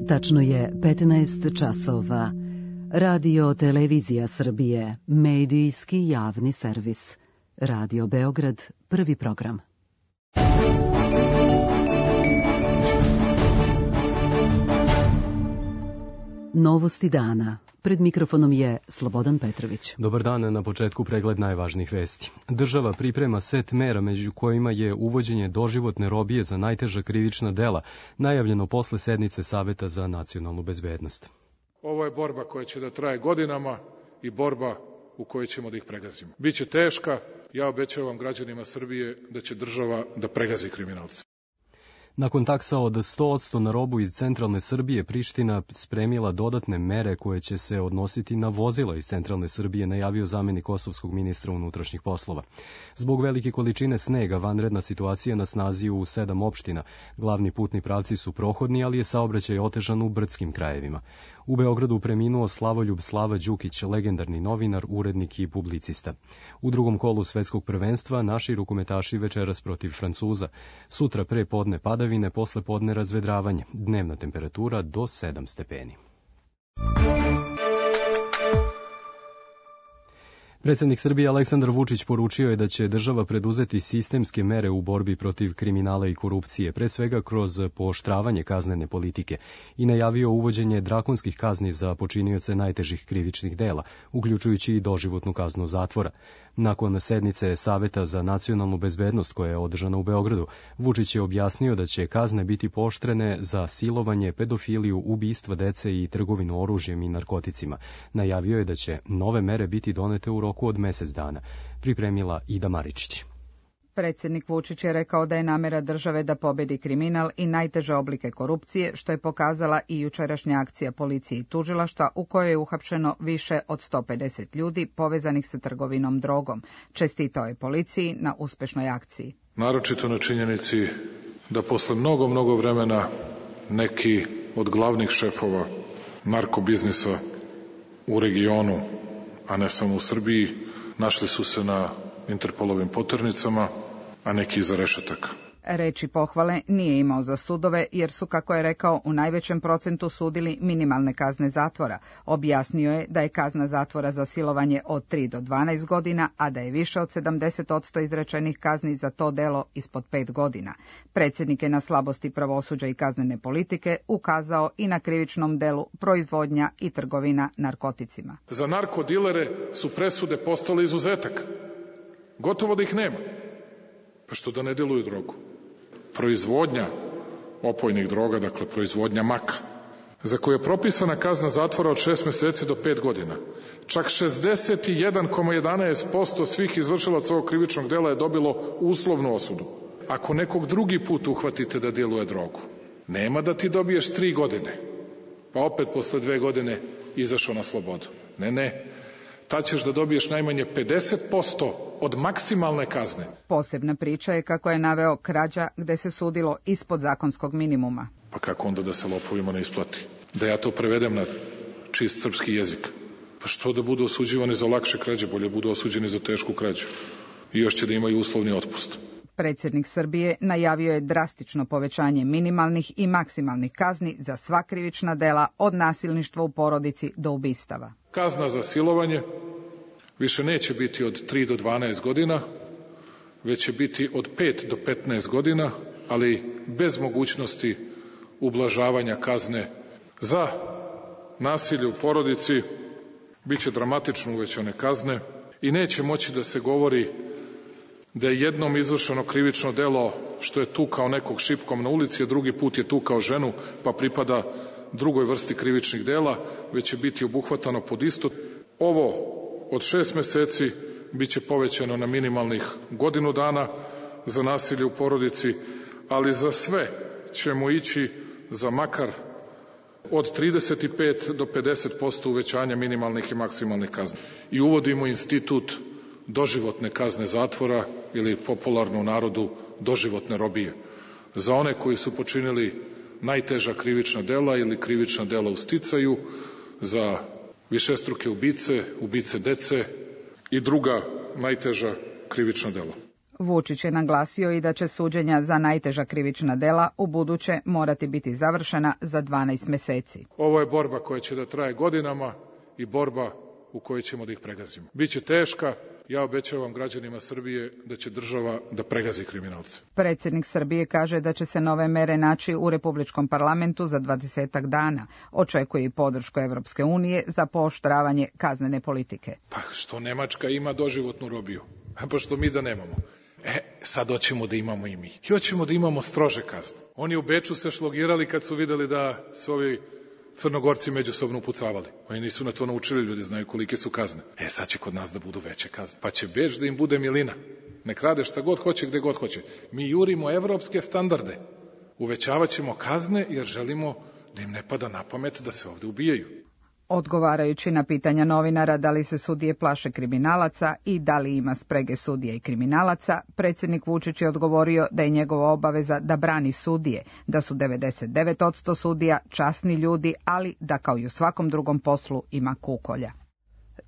Tačno je 15 časova. Radio Televizija Srbije, medijski javni servis. Radio Beograd, prvi program. Novosti dana. Pred mikrofonom je Slobodan Petrović. Dobar dan, na početku pregled najvažnijih vesti. Država priprema set mera među kojima je uvođenje doživotne robije za najteža krivična dela, najavljeno posle sednice Saveta za nacionalnu bezbednost. Ovo je borba koja će da traje godinama i borba u kojoj ćemo da ih pregazimo. Biće teška, ja obećavam građanima Srbije da će država da pregazi kriminalce. Nakon taksa od 100% na robu iz centralne Srbije, Priština spremila dodatne mere koje će se odnositi na vozila iz centralne Srbije, najavio zamenik kosovskog ministra unutrašnjih poslova. Zbog velike količine snega, vanredna situacija na snazi u 7 opština. Glavni putni pravci su prohodni, ali je saobraćaj otežan u brdskim krajevima. U Beogradu preminuo Slavoljub Slava Đukić, legendarni novinar, urednik i publicista. U drugom kolu svetskog prvenstva naši rukometaši večeras protiv Francuza. Sutra pre podne padavine, posle podne razvedravanje. Dnevna temperatura do 7 stepeni. Predsjednik Srbije Aleksandar Vučić poručio je da će država preduzeti sistemske mere u borbi protiv kriminala i korupcije, pre svega kroz pooštravanje kaznene politike, i najavio uvođenje drakonskih kazni za počinioce najtežih krivičnih dela, uključujući i doživotnu kaznu zatvora. Nakon sednice Saveta za nacionalnu bezbednost koja je održana u Beogradu, Vučić je objasnio da će kazne biti pooštrene za silovanje, pedofiliju, ubistva dece i trgovinu oružjem i narkoticima. Najavio je da će nove mere biti donete u roku od mesec dana, pripremila Ida Maričić. Predsjednik Vučić je rekao da je namera države da pobedi kriminal i najteže oblike korupcije, što je pokazala i jučerašnja akcija policije i tužilaštva u kojoj je uhapšeno više od 150 ljudi povezanih sa trgovinom drogom. Čestitao je policiji na uspešnoj akciji. Naročito na činjenici da posle mnogo vremena neki od glavnih šefova narkobiznisa u regionu, a ne samo u Srbiji, našli su se na Interpolovim poternicama, a neki iza rešetaka. Reči pohvale nije imao za sudove, jer su, kako je rekao, u najvećem procentu sudili minimalne kazne zatvora. Objasnio je da je kazna zatvora za silovanje od 3 do 12 godina, a da je više od 70% izrečenih kazni za to delo ispod 5 godina. Predsjednik je na slabosti pravosuđa i kaznene politike ukazao i na krivičnom delu proizvodnja i trgovina narkoticima. Za narkodilere su presude postale izuzetak. Gotovo da ih nema. Pa što da ne deluju drogu? Proizvodnja opojnih droga, dakle proizvodnja maka, za koju je propisana kazna zatvora od 6 meseci do 5 godina. Čak 61,11% svih izvršilaca ovog krivičnog dela je dobilo uslovnu osudu. Ako nekog drugi put uhvatite da djeluje drogu, nema da ti dobiješ 3 godine, pa opet posle 2 godine izašao na slobodu. Ne. Tad ćeš da dobiješ najmanje 50% od maksimalne kazne. Posebna priča je, kako je naveo, krađa gde se sudilo ispod zakonskog minimuma. Pa kako onda da se lopovima ne isplati? Da ja to prevedem na čist srpski jezik. Pa što da budu osuđivani za lakše krađe, bolje budu osuđeni za tešku krađu. I još će da imaju uslovni otpust. Predsjednik Srbije najavio je drastično povećanje minimalnih i maksimalnih kazni za sva krivična dela, od nasilništva u porodici do ubistava. Kazna za silovanje više neće biti od 3 do 12 godina, već će biti od 5 do 15 godina, ali bez mogućnosti ublažavanja kazne. Za nasilje u porodici biće dramatično uvećane kazne i neće moći da se govori da je jednom izvršeno krivično delo što je tukao nekog šipkom na ulici, a drugi put je tukao ženu, pa pripada drugoj vrsti krivičnih dela, već će biti obuhvatano pod isto. Ovo od 6 meseci biće povećano na minimalnih godinu dana za nasilje u porodici, ali za sve ćemo ići za makar od 35 do 50% uvećanja minimalnih i maksimalnih kazni. I uvodimo institut doživotne kazne zatvora, ili popularno u narodu doživotne robije, za one koji su počinili najteža krivična dela ili krivična dela u sticaju, za višestruke ubice, ubice dece i druga najteža krivična dela. Vučić je naglasio i da će suđenja za najteža krivična dela u buduće morati biti završena za 12 meseci. Ovo je borba koja će da traje godinama i borba u kojoj ćemo da ih pregazimo. Biće teška, ja obećavam građanima Srbije da će država da pregazi kriminalce. Predsjednik Srbije kaže da će se nove mere naći u Republičkom parlamentu za 20 dana. Očekuje i podršku Evropske unije za pooštravanje kaznene politike. Pa što Nemačka ima doživotnu robiju? Pa što mi da nemamo? Sad hoćemo da imamo i mi. I hoćemo da imamo strože kazne. Oni u Beču se šlogirali kad su videli da su ovi Crnogorci međusobno upucavali. Oni nisu na to naučili, ljudi znaju kolike su kazne. Sad će kod nas da budu veće kazne. Pa će Beč da im bude milina. Nek rade šta god hoće, gde god hoće. Mi jurimo evropske standarde. Uvećavat ćemo kazne jer želimo da im ne pada na pamet da se ovde ubijaju. Odgovarajući na pitanja novinara da li se sudije plaše kriminalaca i da li ima sprege sudija i kriminalaca, predsjednik Vučić je odgovorio da je njegova obaveza da brani sudije, da su 99% sudija časni ljudi, ali da kao i u svakom drugom poslu ima kukolja.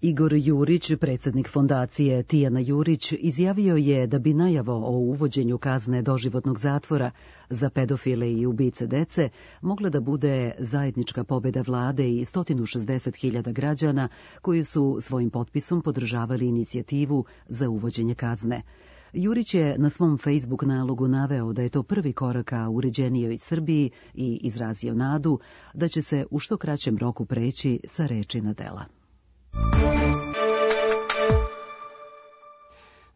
Igor Jurić, predsjednik fondacije Tijana Jurić, izjavio je da bi najavo o uvođenju kazne doživotnog zatvora za pedofile i ubice dece mogla da bude zajednička pobjeda vlade i 160.000 građana koji su svojim potpisom podržavali inicijativu za uvođenje kazne. Jurić je na svom Facebook nalogu naveo da je to prvi korak ka uređenijoj Srbiji i izrazio nadu da će se u što kraćem roku preći sa reči na dela.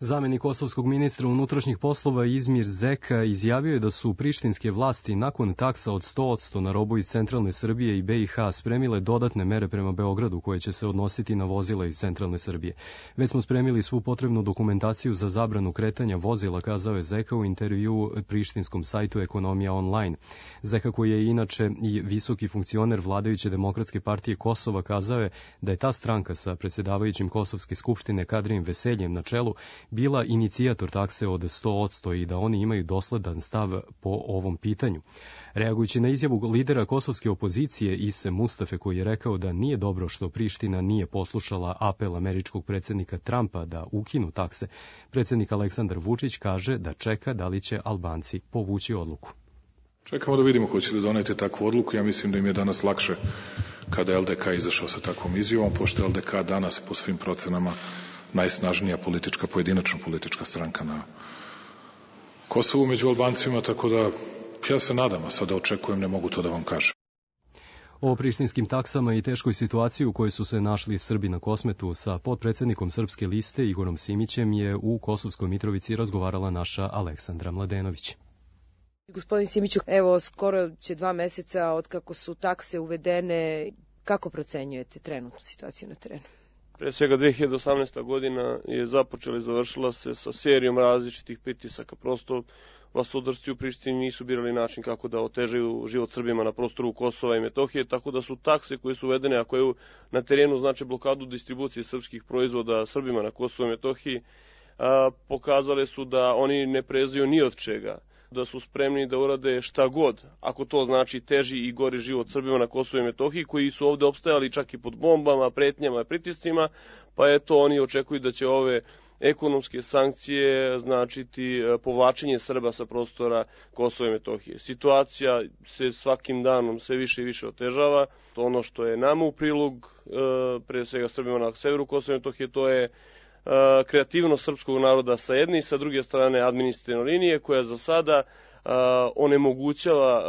Zamenik kosovskog ministra unutrašnjih poslova Izmir Zeka izjavio je da su prištinske vlasti nakon taksa od 100% na robu iz centralne Srbije i BiH spremile dodatne mere prema Beogradu koje će se odnositi na vozila iz centralne Srbije. Već smo spremili svu potrebnu dokumentaciju za zabranu kretanja vozila, kazao je Zeka u intervjuu prištinskom sajtu Ekonomija online. Zeka, koji je inače i visoki funkcioner vladajuće Demokratske partije Kosova, kazao je da je ta stranka sa predsjedavajućim Kosovske skupštine Kadrijem Veseljem na čelu bila inicijator takse od 100% i da oni imaju dosledan stav po ovom pitanju. Reagujući na izjavu lidera kosovske opozicije Ise Mustafe, koji je rekao da nije dobro što Priština nije poslušala apel američkog predsjednika Trumpa da ukinu takse, predsjednik Aleksandar Vučić kaže da čeka da li će Albanci povući odluku. Čekamo da vidimo ko će da donete takvu odluku. Ja mislim da im je danas lakše kada je LDK izašao sa takvom izjavom, pošto je LDK danas po svim procenama najsnažnija pojedinačna politička stranka na Kosovu među Albancima, tako da ja se nadam, a sada očekujem, ne mogu to da vam kažem. O prištinskim taksama i teškoj situaciji u kojoj su se našli Srbi na Kosmetu sa potpredsjednikom Srpske liste Igorom Simićem je u Kosovskoj Mitrovici razgovarala naša Aleksandra Mladenović. Gospodin Simiću, evo skoro će 2 meseca od kako su takse uvedene. Kako procenjujete trenutnu situaciju na terenu? Pre svega 2018. godina je započela i završila se sa serijom različitih pritisaka. Prosto vlastodršci u Prištini nisu birali način kako da otežaju život Srbima na prostoru Kosova i Metohije, tako da su takse koje su uvedene, a koje na terenu znači blokadu distribucije srpskih proizvoda Srbima na Kosovu i Metohiji, pokazale su da oni ne prezaju ni od čega, da su spremni da urade šta god, ako to znači teži i gori život Srbima na Kosovu i Metohiji, koji su ovde opstajali čak i pod bombama, pretnjama i pritiscima, pa eto oni očekuju da će ove ekonomske sankcije značiti povlačenje Srba sa prostora Kosova i Metohije. Situacija se svakim danom sve više i više otežava. Ono što je nama u prilog, pre svega Srbima na severu Kosova i Metohije, to je kreativnost srpskog naroda sa jedne i sa druge strane administrativne linije koja za sada onemogućava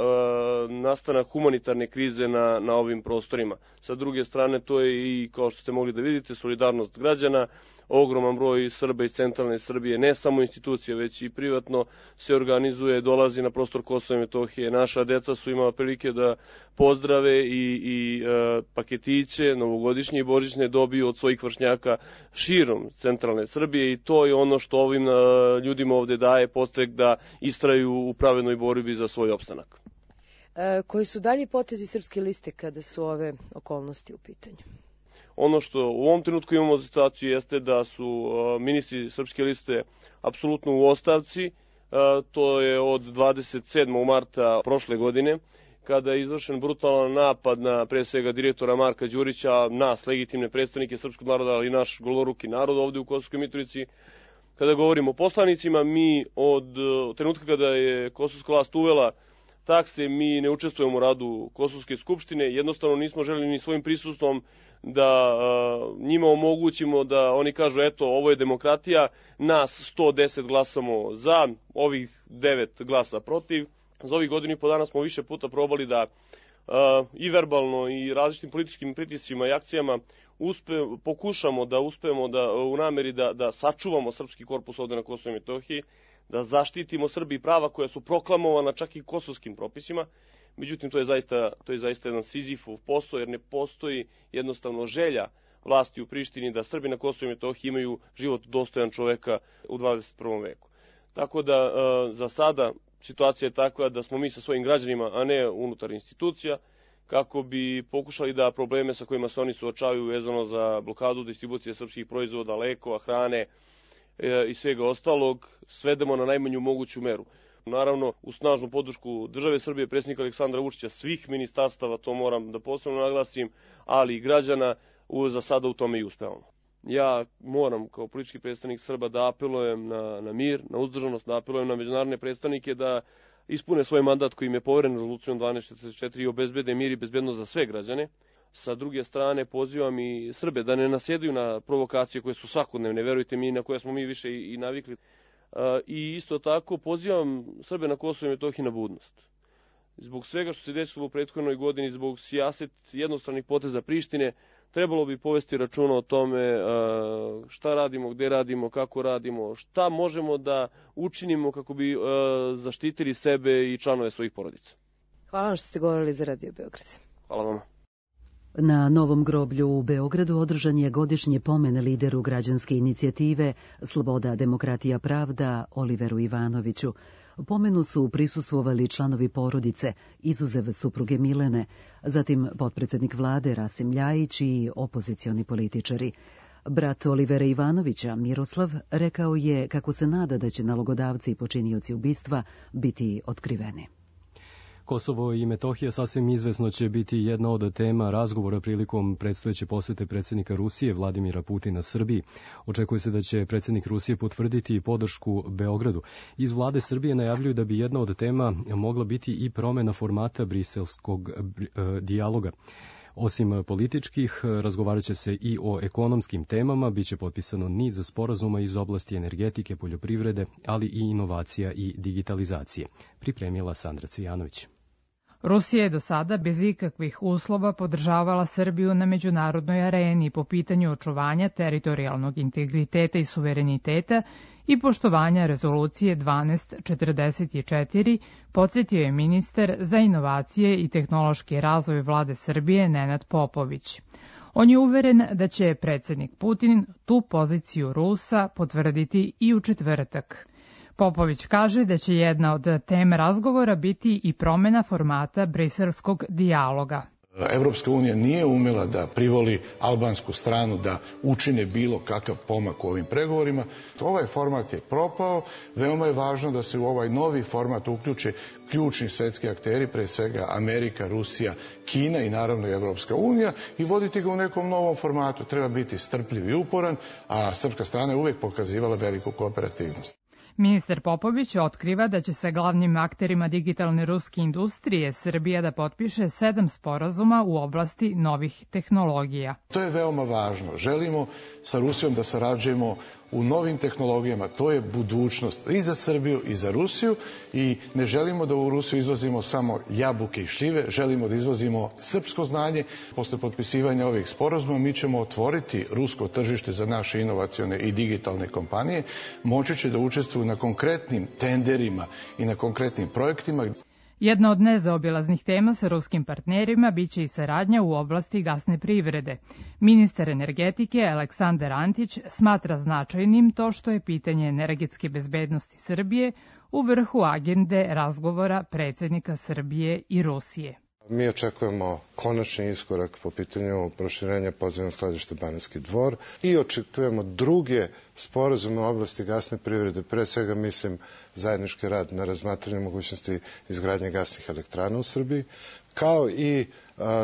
nastanak humanitarne krize na ovim prostorima. Sa druge strane to je i, kao što ste mogli da vidite, solidarnost građana. Ogroman broj Srba iz centralne Srbije, ne samo institucije, već i privatno se organizuje, dolazi na prostor Kosova i Metohije. Naša deca su imala prilike da pozdrave i paketiće novogodišnje i božićne dobiju od svojih vršnjaka širom centralne Srbije i to je ono što ovim ljudima ovde daje podstrek da istraju u pravednoj borbi za svoj opstanak. Koji su dalji potezi Srpske liste kada su ove okolnosti u pitanju? Ono što u ovom trenutku imamo situaciju jeste da su ministri Srpske liste apsolutno u ostavci. To je od 27. marta prošle godine, kada je izvršen brutalan napad na pre svega direktora Marka Đurića, nas, legitimne predstavnike srpskog naroda, ali i naš goloruki narod ovde u Kosovskoj Mitrovici. Kada govorimo o poslanicima, mi od trenutka kada je kosovska vlast uvela takse, mi ne učestvujemo u radu Kosovske skupštine, jednostavno nismo želeli ni svojim prisustvom da njima omogućimo da oni kažu eto ovo je demokratija, nas 110 glasamo za, ovih 9 glasa protiv. Za ovih godinu i po dana smo više puta probali da i verbalno i različitim političkim pritiscima i akcijama pokušamo da uspemo da u nameri da sačuvamo srpski korpus ovde na Kosovu i Metohiji, da zaštitimo Srbiji prava koja su proklamovana čak i kosovskim propisima. Međutim, to je zaista jedan Sizifov posao, jer ne postoji jednostavno želja vlasti u Prištini da Srbi na Kosovu i Metohiji imaju život dostojan čoveka u 21. veku. Tako da za sada situacija je takva da smo mi sa svojim građanima, a ne unutar institucija, kako bi pokušali da probleme sa kojima se oni suočavaju vezano za blokadu distribucije srpskih proizvoda, lekova, hrane i svega ostalog, svedemo na najmanju moguću meru. Naravno, uz snažnu podršku države Srbije, predsjednika Aleksandra Vučića, svih ministarstava, to moram da posebno naglasim, ali i građana, za sada u tome i uspevamo. Ja moram kao politički predstavnik Srba da apelujem na mir, na uzdržanost, da apelujem na međunarodne predstavnike da ispune svoj mandat koji im je poveren rezolucijom 1244 i obezbede mir i bezbednost za sve građane. Sa druge strane, pozivam i Srbe da ne nasjedaju na provokacije koje su svakodnevne, verujte mi, na koje smo mi više i navikli. I isto tako pozivam Srbe na Kosovu i Metohiji na budnost. Zbog svega što se desilo u prethodnoj godini, zbog sijaset jednostranih poteza Prištine, trebalo bi povesti računa o tome šta radimo, gde radimo, kako radimo, šta možemo da učinimo kako bi zaštitili sebe i članove svojih porodica. Hvala vam što ste govorili za Radio Beograd. Hvala vam. Na Novom groblju u Beogradu održan je godišnji pomen lideru građanske inicijative Sloboda, demokratija, pravda Oliveru Ivanoviću. Pomenu su prisustvovali članovi porodice, izuzev supruge Milene, zatim potpredsednik vlade Rasim Ljajić i opozicioni političari. Brat Olivera Ivanovića, Miroslav, rekao je kako se nada da će nalogodavci i počinioci ubistva biti otkriveni. Kosovo i Metohija sasvim izvesno će biti jedna od tema razgovora prilikom predstojeće posete predsjednika Rusije Vladimira Putina Srbiji. Očekuje se da će predsjednik Rusije potvrditi podršku Beogradu. Iz vlade Srbije najavljuju da bi jedna od tema mogla biti i promjena formata briselskog dijaloga. Osim političkih, razgovarat će se i o ekonomskim temama, biće potpisano niz sporazuma iz oblasti energetike, poljoprivrede, ali i inovacija i digitalizacije. Pripremila Sandra Cvijanović. Rusija je do sada bez ikakvih uslova podržavala Srbiju na međunarodnoj areni po pitanju očuvanja teritorijalnog integriteta i suvereniteta i poštovanja rezolucije 1244, podsjetio je ministar za inovacije i tehnološki razvoj vlade Srbije Nenad Popović. On je uveren da će predsjednik Putin tu poziciju Rusa potvrditi i u četvrtak. Popović kaže da će jedna od tema razgovora biti i promjena formata briselskog dijaloga. Evropska unija nije umela da privoli albansku stranu da učine bilo kakav pomak u ovim pregovorima. Ovaj format je propao, veoma je važno da se u ovaj novi format uključe ključni svetski akteri, pre svega Amerika, Rusija, Kina i naravno i Evropska unija i voditi ga u nekom novom formatu. Treba biti strpljiv i uporan, a srpska strana je uvijek pokazivala veliku kooperativnost. Ministar Popović otkriva da će sa glavnim akterima digitalne ruske industrije Srbija da potpiše 7 sporazuma u oblasti novih tehnologija. To je veoma važno. Želimo sa Rusijom da sarađujemo u novim tehnologijama. To je budućnost i za Srbiju i za Rusiju i ne želimo da u Rusiju izvozimo samo jabuke i šljive, želimo da izvozimo srpsko znanje. Posle potpisivanja ovih sporazuma mi ćemo otvoriti rusko tržište za naše inovacione i digitalne kompanije. Moći će da učestvuju na konkretnim tenderima i na konkretnim projektima. Jedna od nezaobilaznih tema sa ruskim partnerima biće i saradnja u oblasti gasne privrede. Ministar energetike Aleksandar Antić smatra značajnim to što je pitanje energetske bezbednosti Srbije u vrhu agende razgovora predsjednika Srbije i Rusije. Mi očekujemo konačni iskorak po pitanju proširenja podzemnog skladišta Banatski Dvor i očekujemo druge sporazum u oblasti gasne privrede, pre svega mislim zajednički rad na razmatranju mogućnosti izgradnje gasnih elektrana u Srbiji, kao i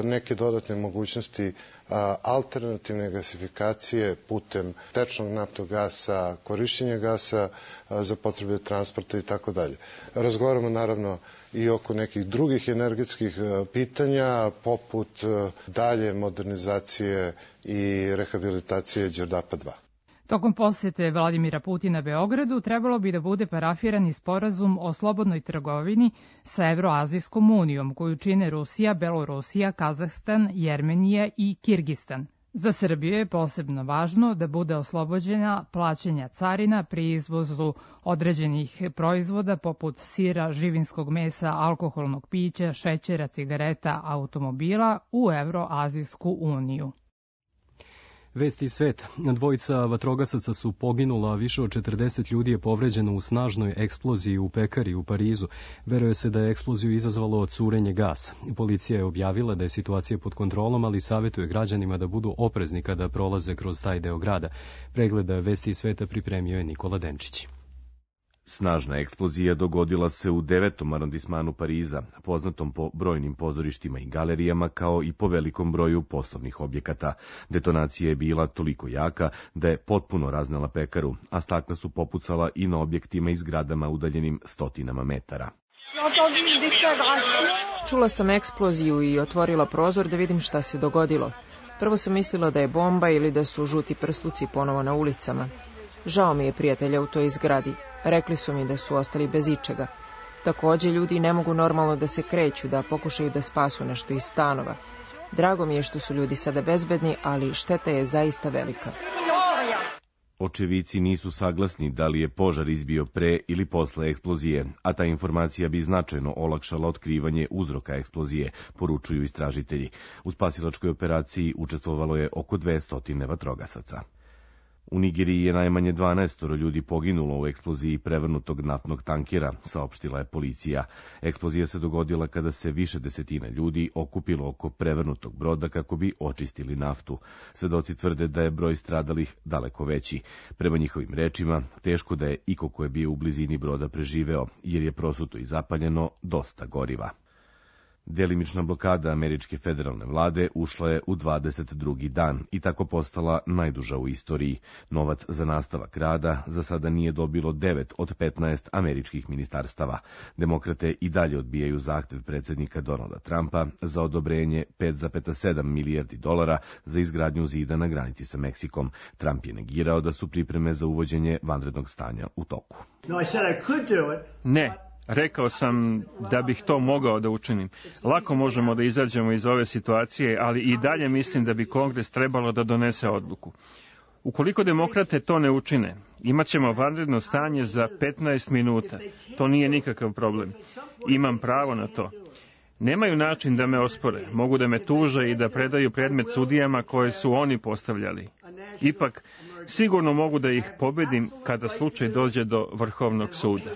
neke dodatne mogućnosti alternativne gasifikacije putem tečnog naftnog gasa, korišćenja gasa za potrebe transporta i tako dalje. Razgovaramo naravno i oko nekih drugih energetskih pitanja, poput dalje modernizacije i rehabilitacije Đerdapa 2. Tokom posete Vladimira Putina Beogradu trebalo bi da bude parafiran i sporazum o slobodnoj trgovini sa Evroazijskom unijom, koju čine Rusija, Belorusija, Kazahstan, Jermenija i Kirgistan. Za Srbiju je posebno važno da bude oslobođena plaćanja carina pri izvozu određenih proizvoda poput sira, živinskog mesa, alkoholnog pića, šećera, cigareta, automobila u Evroazijsku uniju. Vesti iz sveta. Dvojica vatrogasaca su poginula, a više od 40 ljudi je povređeno u snažnoj eksploziji u pekari u Parizu. Veruje se da je eksploziju izazvalo curenje gasa. Policija je objavila da je situacija pod kontrolom, ali savjetuje građanima da budu oprezni kada prolaze kroz taj deo grada. Pregleda Vesti iz sveta pripremio je Nikola Denčić. Snažna eksplozija dogodila se u 9. arondismanu Pariza, poznatom po brojnim pozorištima i galerijama, kao i po velikom broju poslovnih objekata. Detonacija je bila toliko jaka da je potpuno raznela pekaru, a stakla su popucala i na objektima i zgradama udaljenim stotinama metara. Čula sam eksploziju i otvorila prozor da vidim šta se dogodilo. Prvo sam mislila da je bomba ili da su žuti prsluci ponovo na ulicama. Žao mi je prijatelja u toj zgradi. Rekli su mi da su ostali bez ičega. Takođe, ljudi ne mogu normalno da se kreću, da pokušaju da spasu nešto iz stanova. Drago mi je što su ljudi sada bezbedni, ali šteta je zaista velika. Očevici nisu saglasni da li je požar izbio pre ili posle eksplozije, a ta informacija bi značajno olakšala otkrivanje uzroka eksplozije, poručuju istražitelji. U spasilačkoj operaciji učestvovalo je oko 200 vatrogasaca. U Nigeriji je najmanje 12 ljudi poginulo u eksploziji prevrnutog naftnog tankera, saopštila je policija. Eksplozija se dogodila kada se više desetina ljudi okupilo oko prevrnutog broda kako bi očistili naftu. Svedoci tvrde da je broj stradalih daleko veći. Prema njihovim rečima, teško da je iko ko je bio u blizini broda preživeo, jer je prosuto i zapaljeno dosta goriva. Delimična blokada američke federalne vlade ušla je u 22. dan i tako postala najduža u istoriji. Novac za nastavak rada za sada nije dobilo 9 od 15 američkih ministarstava. Demokrate i dalje odbijaju zahtev predsjednika Donalda Trumpa za odobrenje $5,7 milijardi za izgradnju zida na granici sa Meksikom. Trump je negirao da su pripreme za uvođenje vanrednog stanja u toku. Ne. Rekao sam da bih to mogao da učinim. Lako možemo da izađemo iz ove situacije, ali i dalje mislim da bi Kongres trebalo da donese odluku. Ukoliko demokrate to ne učine, imat ćemo vanredno stanje za 15 minuta. To nije nikakav problem. Imam pravo na to. Nemaju način da me ospore. Mogu da me tuže i da predaju predmet sudijama koje su oni postavljali. Ipak, sigurno mogu da ih pobedim kada slučaj dođe do Vrhovnog suda.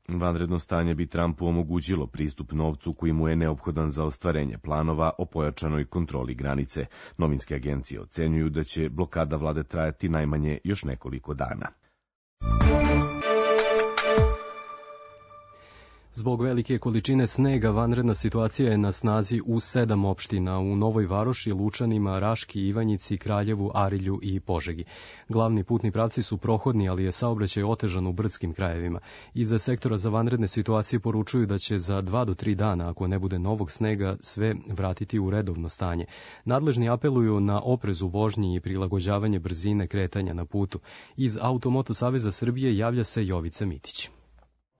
Vanredno stanje bi Trumpu omogućilo pristup novcu koji mu je neophodan za ostvarenje planova o pojačanoj kontroli granice. Novinske agencije ocenjuju da će blokada vlade trajati najmanje još nekoliko dana. Zbog velike količine snega vanredna situacija je na snazi u 7 opština, u Novoj Varoši, Lučanima, Raški, Ivanjici, Kraljevu, Arilju i Požegi. Glavni putni pravci su prohodni, ali je saobraćaj otežan u brdskim krajevima. Iza sektora za vanredne situacije poručuju da će za 2 do 3 dana, ako ne bude novog snega, sve vratiti u redovno stanje. Nadležni apeluju na oprez u vožnji i prilagođavanje brzine kretanja na putu. Iz Automoto Saveza Srbije javlja se Jovica Mitić.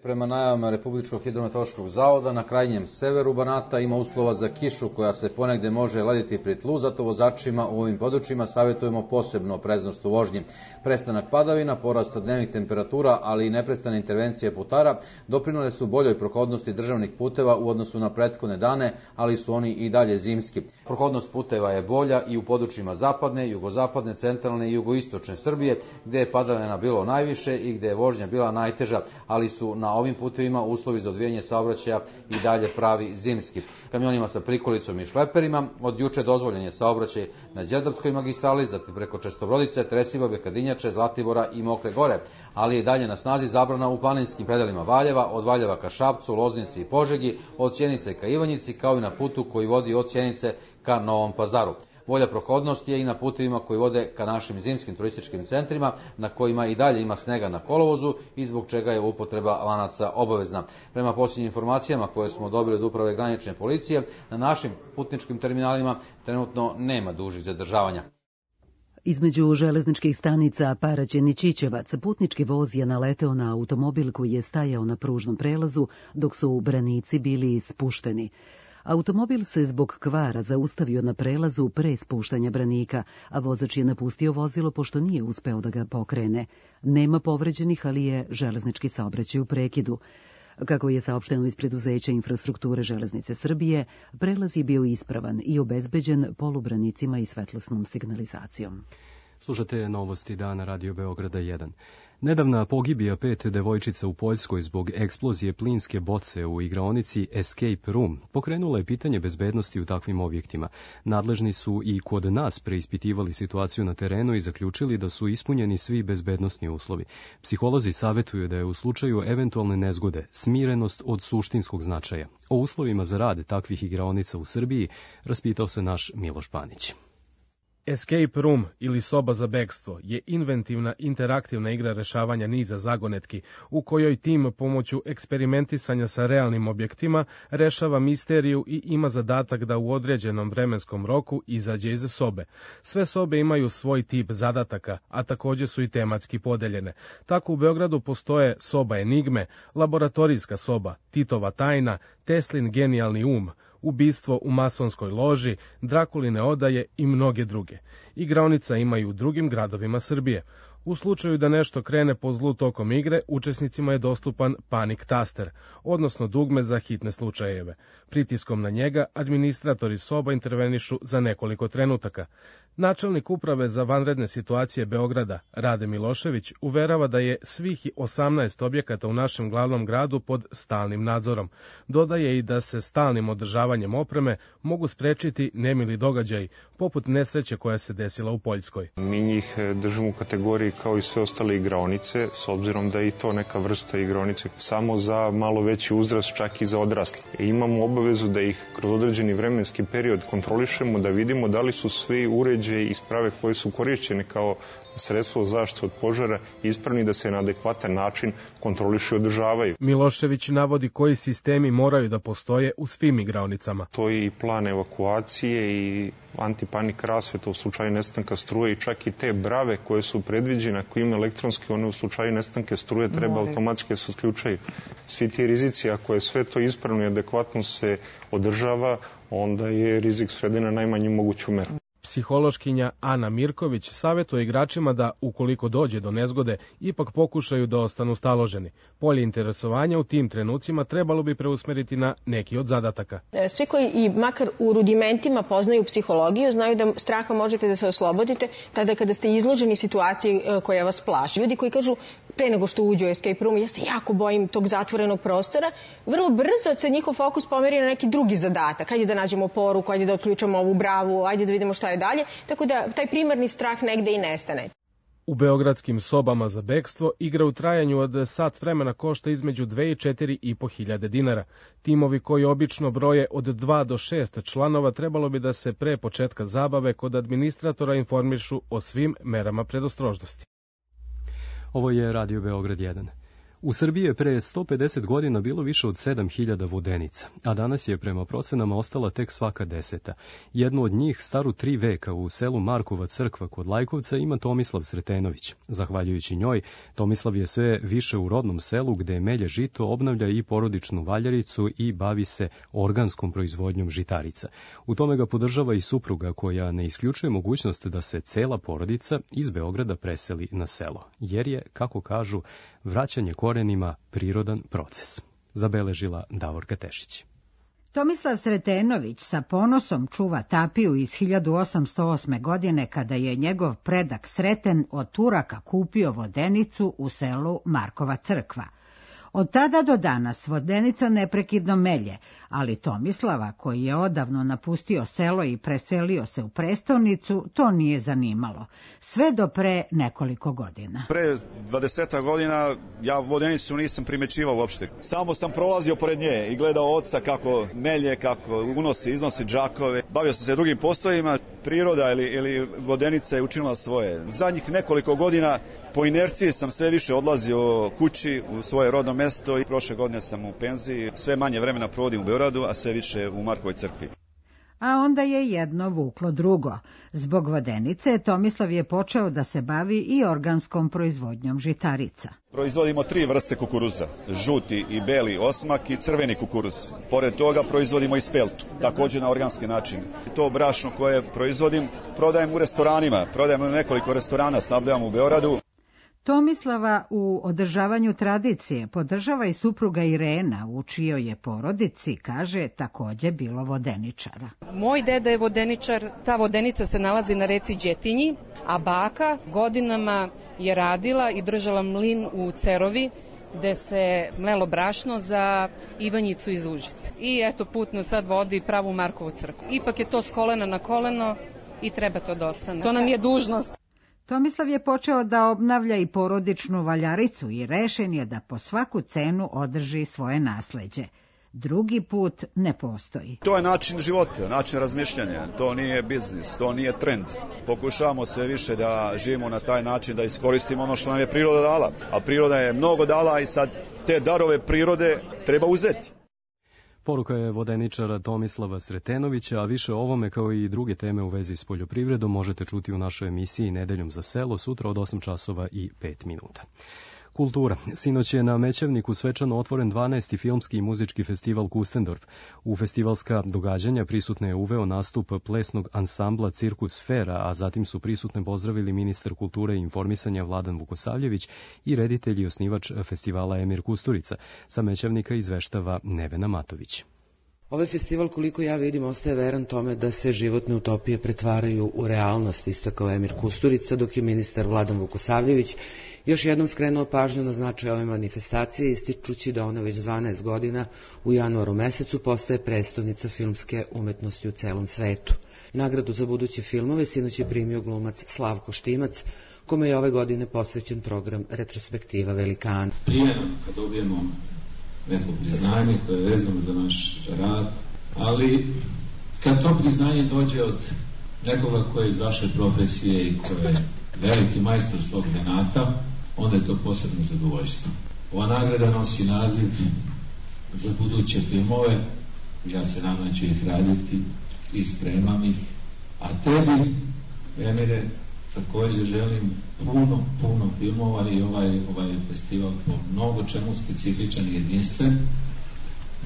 Prema najavama Republičkog hidrometeorološkog zavoda, na krajnjem severu Banata ima uslova za kišu koja se ponegde može lediti pri tlu, zato vozačima u ovim područjima savjetujemo posebno opreznost u vožnji. Prestanak padavina, porast dnevnih temperatura, ali i neprestane intervencije putara doprinele su boljoj prohodnosti državnih puteva u odnosu na prethodne dane, ali su oni i dalje zimski. Prohodnost puteva je bolja i u područjima zapadne, jugozapadne, centralne i jugoistočne Srbije, gde je padavina bilo najviše i gde je vožnja bila najteža, ali su na Na ovim putevima uslovi za odvijanje saobraćaja i dalje pravi zimski. Kamionima sa prikolicom i šleperima od juče dozvoljen je saobraćaj na Đerdapskoj magistrali, zatim preko Čestobrodice, Tresibabe, Kadinjače, Zlatibora i Mokre Gore, ali je dalje na snazi zabrana u planinskim predelima Valjeva, od Valjeva ka Šapcu, Loznici i Požegi, od Sjenice ka Ivanjici, kao i na putu koji vodi od Sjenice ka Novom Pazaru. Bolja prohodnost je i na putevima koji vode ka našim zimskim turističkim centrima, na kojima i dalje ima snega na kolovozu i zbog čega je upotreba lanaca obavezna. Prema posljednjim informacijama koje smo dobili od Uprave granične policije, na našim putničkim terminalima trenutno nema dužih zadržavanja. Između železničkih stanica Paraćin i Čičevac putnički voz je naleteo na automobil koji je stajao na pružnom prelazu dok su branici bili spušteni. Automobil se zbog kvara zaustavio na prelazu pre spuštanja branika, a vozač je napustio vozilo pošto nije uspeo da ga pokrene. Nema povređenih, ali je železnički saobraćaj u prekidu. Kako je saopšteno iz preduzeća Infrastrukture železnice Srbije, prelaz je bio ispravan i obezbeđen polubranicima i svetlosnom signalizacijom. Slušate novosti dana Radio Beograda 1. Nedavna pogibija 5 devojčica u Poljskoj zbog eksplozije plinske boce u igraonici Escape Room pokrenula je pitanje bezbednosti u takvim objektima. Nadležni su i kod nas preispitivali situaciju na terenu i zaključili da su ispunjeni svi bezbednosni uslovi. Psiholozi savjetuju da je u slučaju eventualne nezgode smirenost od suštinskog značaja. O uslovima za rad takvih igraonica u Srbiji raspitao se naš Miloš Panić. Escape Room ili soba za bekstvo je inventivna interaktivna igra rešavanja niza zagonetki u kojoj tim pomoću eksperimentisanja sa realnim objektima rešava misteriju i ima zadatak da u određenom vremenskom roku izađe iz sobe. Sve sobe imaju svoj tip zadataka, a također su i tematski podeljene. Tako u Beogradu postoje soba enigme, laboratorijska soba, Titova tajna, Teslin genijalni ubistvo u masonskoj loži, Drakuline odaje i mnoge druge. Igraonica ima i u drugim gradovima Srbije. U slučaju da nešto krene po zlu tokom igre, učesnicima je dostupan panic taster, odnosno dugme za hitne slučajeve. Pritiskom na njega administratori soba intervenišu za nekoliko trenutaka. Načelnik uprave za vanredne situacije Beograda, Rade Milošević, uverava da je svih 18 objekata u našem glavnom gradu pod stalnim nadzorom. Dodaje i da se stalnim održavanjem opreme mogu sprečiti nemili događaji, poput nesreće koja se desila u Poljskoj. Mi njih držimo u kategoriji kao i sve ostale igraonice, s obzirom da je i to neka vrsta igraonice, samo za malo veći uzrast, čak i za odrasle. Imamo obavezu da ih kroz određeni vremenski period kontrolišemo, da vidimo da li su svi uređaji i sprave koje su korišćene kao sredstvo zaštite od požara ispravni, da se na adekvatan način kontrolišu i održavaju. Milošević navodi koji sistemi moraju da postoje u svim igraonicama. To je i plan evakuacije i antipanik rasveta u slučaju nestanka struje i čak i te brave koje su predviđene, ako ima elektronski, one u slučaju nestanke struje treba automatski se otključaju. Svi ti rizici, ako je sve to ispravno i adekvatno se održava, onda je rizik sveden na najmanju moguću meru. Psihološkinja Ana Mirković savjetuje igračima da, ukoliko dođe do nezgode, ipak pokušaju da ostanu staloženi. Polje interesovanja u tim trenucima trebalo bi preusmeriti na neki od zadataka. Svi koji i makar u rudimentima poznaju psihologiju, znaju da straha možete da se oslobodite tada kada ste izloženi situaciji koja vas plaši. Ljudi koji kažu pre nego što uđu u escape room, ja se jako bojim tog zatvorenog prostora, vrlo brzo se njihov fokus pomeri na neki drugi zadatak. Ajde da nađemo poruku, ajde da otključamo ovu bravu, ajde da vidimo šta je dalje, tako da taj primarni strah negde i nestane. U beogradskim sobama za bekstvo igra u trajanju od sat vremena košta između 2 i 4,5 hiljade dinara. Timovi koji obično broje od 2 do 6 članova trebalo bi da se pre početka zabave kod administratora informišu o svim merama predostrožnosti. Ovo je Radio Beograd 1. U Srbiji je pre 150 godina bilo više od 7000 vodenica, a danas je prema procenama ostala tek svaka 10. Jednu od njih, staru 3 veka, u selu Markova crkva kod Lajkovca ima Tomislav Sretenović. Zahvaljujući njoj, Tomislav je sve više u rodnom selu gde melje žito, obnavlja i porodičnu valjaricu i bavi se organskom proizvodnjom žitarica. U tome ga podržava i supruga koja ne isključuje mogućnost da se cela porodica iz Beograda preseli na selo, jer je, kako kažu, vraćanje korenima prirodan proces. Zabeležila Davorka Tešić. Tomislav Sretenović sa ponosom čuva tapiju iz 1808. godine kada je njegov predak Sreten od Turaka kupio vodenicu u selu Markova crkva. Od tada do danas Vodenica neprekidno melje, ali Tomislava, koji je odavno napustio selo i preselio se u prestonicu, to nije zanimalo. Sve do pre nekoliko godina. Pre 20 godina ja Vodenicu nisam primećivao uopšte. Samo sam prolazio pored nje i gledao oca kako melje, kako iznosi džakove. Bavio sam se drugim poslovima. Priroda ili Vodenica je učinila svoje. Zadnjih nekoliko godina po inerciji sam sve više odlazio kući u svoje rodno mesto i prošle godine sam u penziji. Sve manje vremena provodim u Beogradu, a sve više u Markovoj crkvi. A onda je jedno vuklo drugo. Zbog Vodenice Tomislav je počeo da se bavi i organskom proizvodnjom žitarica. Proizvodimo 3 vrste kukuruza, žuti i beli osmak i crveni kukuruz. Pored toga proizvodimo i speltu, također na organski način. To brašno koje proizvodim prodajem u restoranima, prodajem u nekoliko restorana, snabdevam u Beogradu. Tomislava u održavanju tradicije podržava i supruga Irena, u čijoj je porodici, kaže, takođe bilo vodeničara. Moj deda je vodeničar, ta Vodenica se nalazi na reci Đetinji, a baka godinama je radila i držala mlin u Cerovi, gde se mlelo brašno za Ivanjicu iz Užice. I eto, put nas sad vodi pravu Markovu crkvu. Ipak je to s kolena na koleno i treba to da ostane. To nam je dužnost. Tomislav je počeo da obnavlja i porodičnu valjaricu i rešen je da po svaku cenu održi svoje nasleđe. Drugi put ne postoji. To je način života, način razmišljanja. To nije biznis, to nije trend. Pokušavamo sve više da živimo na taj način, da iskoristimo ono što nam je priroda dala. A priroda je mnogo dala i sad te darove prirode treba uzeti. Poruka je vodeničara Tomislava Sretenovića, a više o ovome kao i druge teme u vezi s poljoprivredom možete čuti u našoj emisiji Nedeljom za selo sutra od 8 časova i 5 minuta. Kultura. Sinoć je na Mećavniku svečano otvoren 12. filmski i muzički festival Kustendorf. U festivalska događanja prisutne je uveo nastup plesnog ansambla Cirkus Sfera, a zatim su prisutne pozdravili ministar kulture i informisanja Vladan Vukosavljević i reditelj i osnivač festivala Emir Kusturica. Sa Mećavnika izveštava Nevena Matović. Ovaj festival, koliko ja vidim, ostaje veran tome da se životne utopije pretvaraju u realnost, istakao Emir Kusturica, dok je ministar Vladan Vukosavljević još jednom skrenuo pažnju na značaj ove manifestacije, ističući da ona već 12 godina u januaru mesecu postaje prestonica filmske umetnosti u celom svetu. Nagradu za buduće filmove sinoć je primio glumac Slavko Štimac, kome je ove godine posvećen program Retrospektiva Velikana. Prije kad dobijemo neko priznanje koje je vezano za naš rad, ali kad to priznanje dođe od nekoga koji je iz vaše profesije i koji je veliki majstor svog zanata, onda je to posebno zadovoljstvo. Ova nagrada nosi naziv za buduće filmove, ja se nadam da ću ih raditi i spremam ih, a tebi, Emire, također želim puno filmova i ovaj festival po mnogo čemu specifičan i jedinstven.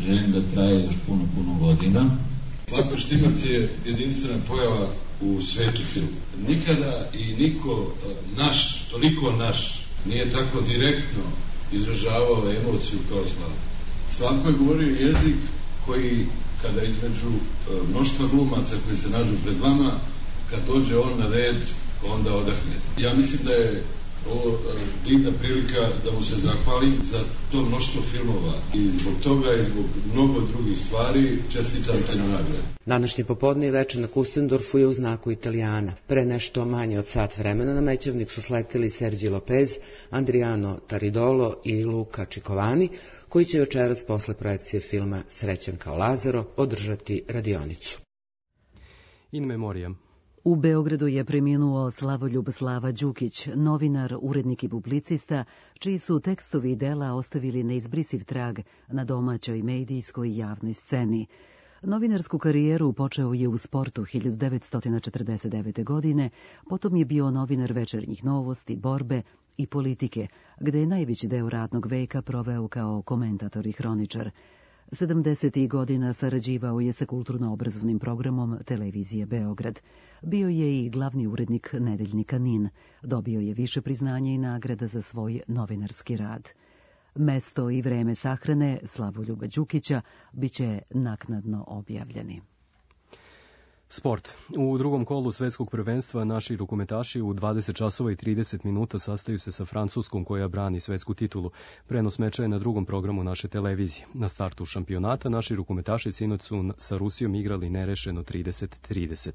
Želim da traje još puno godina. Slavko Štimac je jedinstvena pojava u svetu filmu. Nikada i niko naš, toliko naš, nije tako direktno izražavao emociju kao Slavko. Slavko je govorio jezik koji, kada između mnoštva glumaca koji se nađu pred vama, kad dođe on na red, onda odahne. Ja mislim da je ovo divna prilika da mu se zahvalim za to mnoštvo filmova i zbog toga i zbog mnogo drugih stvari čestitam te na nagradu. Današnje popodne i večer na Kustendorfu je u znaku Italijana. Pre nešto manje od sat vremena na Mećavnik su sleteli Sergio Lopez, Andriano Taridolo i Luka Čikovani, koji će večeras posle projekcije filma Srećan kao Lazaro održati radionicu. In memoriam. U Beogradu je preminuo Slavoljub Slava Đukić, novinar, urednik i publicista, čiji su tekstovi i dela ostavili neizbrisiv trag na domaćoj medijskoj i javnoj sceni. Novinarsku karijeru počeo je u Sportu 1949. godine, potom je bio novinar Večernjih novosti, Borbe i Politike, gde je najveći deo radnog veka proveo kao komentator i hroničar. 70. godina sarađivao je sa kulturno-obrazovnim programom Televizije Beograd. Bio je i glavni urednik nedeljnika NIN. Dobio je više priznanja i nagrada za svoj novinarski rad. Mesto i vreme sahrane Slavoljuba Đukića biće naknadno objavljeni. Sport. U drugom kolu svetskog prvenstva naši rukometaši u 20 časova i 30 minuta sastaju se sa Francuskom koja brani svetsku titulu. Prenos meča je na drugom programu naše televizije. Na startu šampionata naši rukometaši sinoć su sa Rusijom igrali nerešeno 30-30.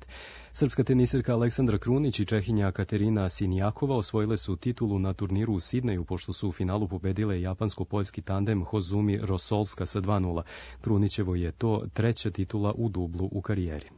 Srpska teniserka Aleksandra Krunić i Čehinja Katerina Sinijakova osvojile su titulu na turniru u Sidneju pošto su u finalu pobedile japansko-poljski tandem Hozumi Rosolska sa 2:0. Krunićevo je to treća titula u dublu u karijeri.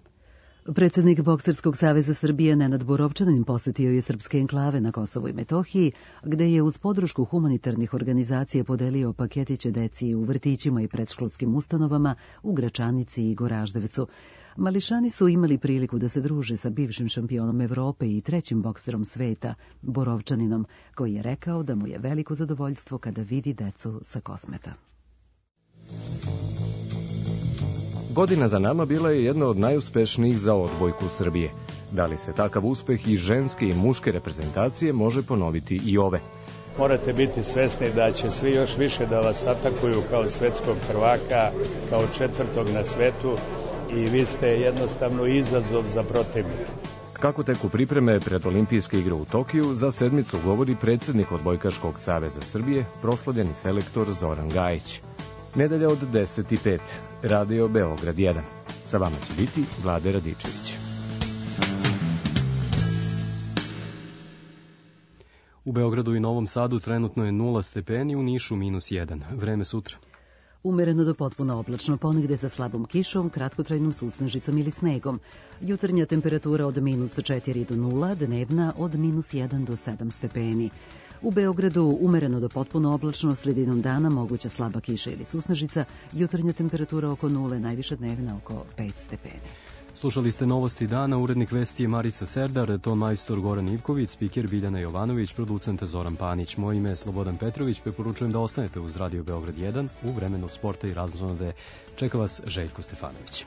Predsednik Bokserskog saveza Srbije Nenad Borovčanin posetio je srpske enklave na Kosovu i Metohiji, gde je uz podršku humanitarnih organizacija podelio paketiće deci u vrtićima i predškolskim ustanovama u Gračanici i Goraždevcu. Mališani su imali priliku da se druže sa bivšim šampionom Evrope i trećim bokserom sveta, Borovčaninom, koji je rekao da mu je veliko zadovoljstvo kada vidi decu sa Kosmeta. Godina za nama bila je jedna od najuspešnijih za odbojku Srbije. Da li se takav uspeh i ženske i muške reprezentacije može ponoviti i ove? Morate biti svesni da će svi još više da vas atakuju kao svetskog prvaka, kao četvrtog na svetu i vi ste jednostavno izazov za protivnika. Kako teku pripreme pred olimpijske igre u Tokiju, za sedmicu govori predsednik Odbojkaškog saveza Srbije, proslavljeni selektor Zoran Gajić. Nedelja od 10:05, Radio Beograd 1. Sa vama će biti Vlade Radičević. U Beogradu i Novom Sadu trenutno je 0 stepeni, u Nišu -1. Vreme sutra. Umereno do potpuno oblačno, ponegde sa slabom kišom, kratkotrajnom susnežicom ili snegom. Jutarnja temperatura od -4 do 0, dnevna od -1 do 7 stepeni. U Beogradu umereno do potpuno oblačno, sredinom dana moguća slaba kiša ili susnežica, jutarnja temperatura oko 0, najviša dnevna oko 5 stepeni. Slušali ste Novosti dana, urednik vesti je Marica Serdar, ton majstor Goran Ivković, spiker Biljana Jovanović, producent Zoran Panić. Moje ime je Slobodan Petrović, preporučujem da ostanete uz Radio Beograd 1 u vremenu sporta i razonode. Čeka vas Željko Stefanović.